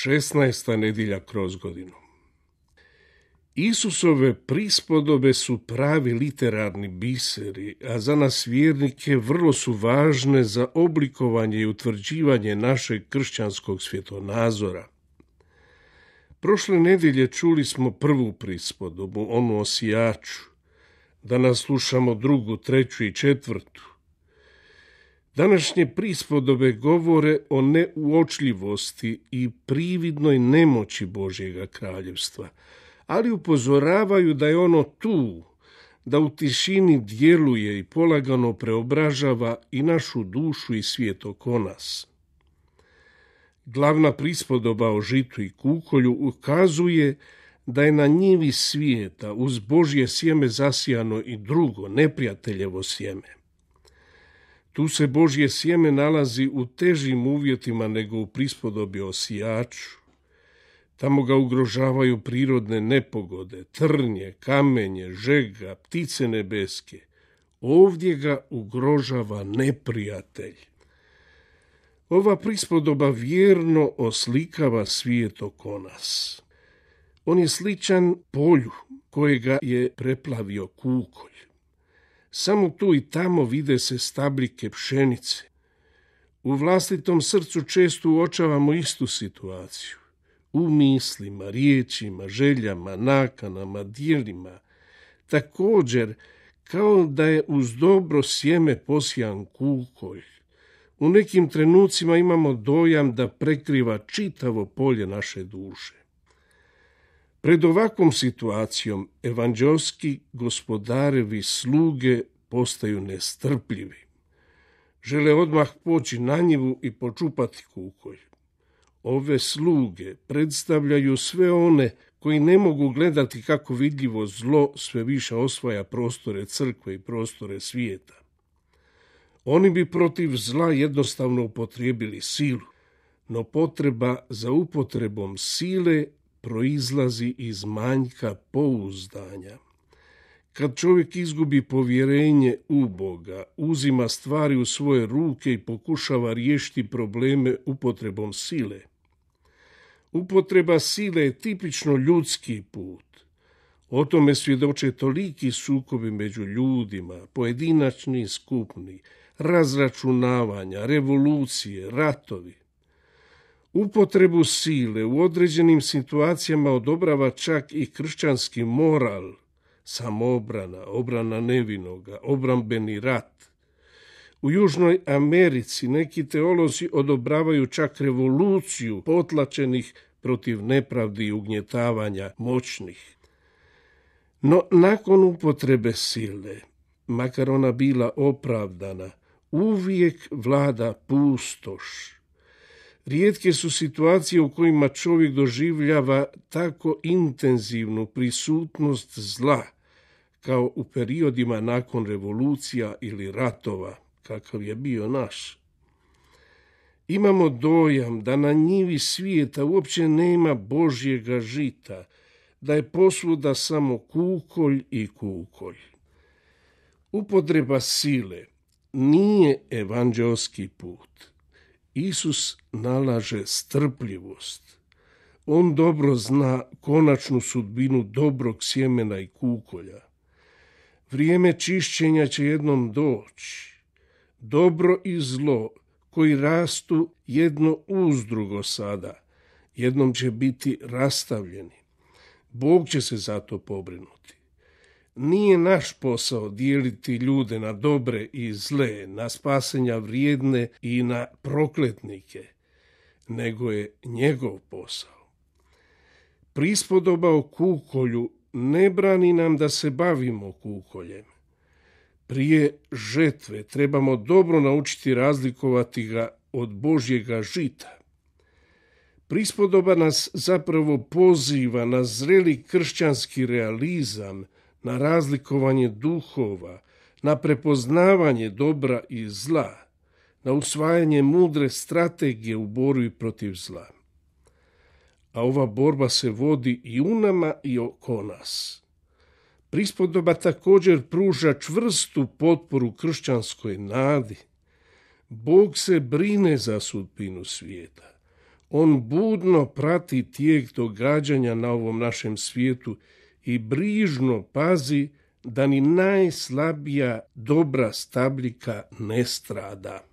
16. nedjelja kroz godinu. Isusove prispodobe su pravi literarni biseri, a za nas vjernike vrlo su važne za oblikovanje i utvrđivanje našeg kršćanskog svjetonazora. Prošle nedjelje čuli smo prvu prispodobu, onu o sijaču. Danas slušamo drugu, treću i četvrtu. Današnje prispodobe govore o neuočljivosti i prividnoj nemoći Božjega kraljevstva, ali upozoravaju da je ono tu, da u tišini djeluje i polagano preobražava i našu dušu i svijet oko nas. Glavna prispodoba o žitu i kukolju ukazuje da je na njivi svijeta uz Božje sjeme zasijano i drugo, neprijateljevo sjeme. Tu se Božje sjeme nalazi u težim uvjetima nego u prispodobi o sijaču. Tamo ga ugrožavaju prirodne nepogode, trnje, kamenje, žega, ptice nebeske. Ovdje ga ugrožava neprijatelj. Ova prispodoba vjerno oslikava svijet oko nas. On je sličan polju kojega je preplavio kukolj. Samo tu i tamo vide se stabljike pšenice. U vlastitom srcu često uočavamo istu situaciju. U mislima, riječima, željama, nakanama, djelima. Također, kao da je uz dobro sjeme posijan kukolj. U nekim trenucima imamo dojam da prekriva čitavo polje naše duše. Pred ovakvom situacijom evanđelski gospodarevi sluge postaju nestrpljivi. Žele odmah poći na njivu i počupati kukolj. Ove sluge predstavljaju sve one koji ne mogu gledati kako vidljivo zlo sve više osvaja prostore crkve i prostore svijeta. Oni bi protiv zla jednostavno upotrijebili silu, no potreba za upotrebom sile proizlazi iz manjka pouzdanja. Kad čovjek izgubi povjerenje u Boga, uzima stvari u svoje ruke i pokušava riješiti probleme upotrebom sile. Upotreba sile je tipično ljudski put. O tome svjedoče toliki sukobi među ljudima, pojedinačni i skupni, razračunavanja, revolucije, ratovi. Upotrebu sile u određenim situacijama odobrava čak i kršćanski moral, samoobrana, obrana nevinoga, obrambeni rat. U Južnoj Americi neki teolozi odobravaju čak revoluciju potlačenih protiv nepravdi i ugnjetavanja moćnih. No nakon upotrebe sile, makar ona bila opravdana, uvijek vlada pustoš. Rijetke su situacije u kojima čovjek doživljava tako intenzivnu prisutnost zla, kao u periodima nakon revolucija ili ratova, kakav je bio naš. Imamo dojam da na njivi svijeta uopće nema Božjega žita, da je posvuda samo kukolj i kukolj. Upotreba sile nije evanđelski put. Isus nalaže strpljivost. On dobro zna konačnu sudbinu dobrog sjemena i kukolja. Vrijeme čišćenja će jednom doći. Dobro i zlo koji rastu jedno uz drugo sada, jednom će biti rastavljeni. Bog će se za to pobrinuti. Nije naš posao dijeliti ljude na dobre i zle, na spasenja vrijedne i na prokletnike, nego je njegov posao. Prispodoba o kukolju ne brani nam da se bavimo kukoljem. Prije žetve trebamo dobro naučiti razlikovati ga od Božjega žita. Prispodoba nas zapravo poziva na zreli kršćanski realizam, na razlikovanje duhova, na prepoznavanje dobra i zla, na usvajanje mudre strategije u borbi protiv zla. A ova borba se vodi i u nama i oko nas. Prispodoba također pruža čvrstu potporu kršćanskoj nadi. Bog se brine za sudbinu svijeta. On budno prati tijek događanja na ovom našem svijetu i brižno pazi da ni najslabija dobra stabljika ne strada.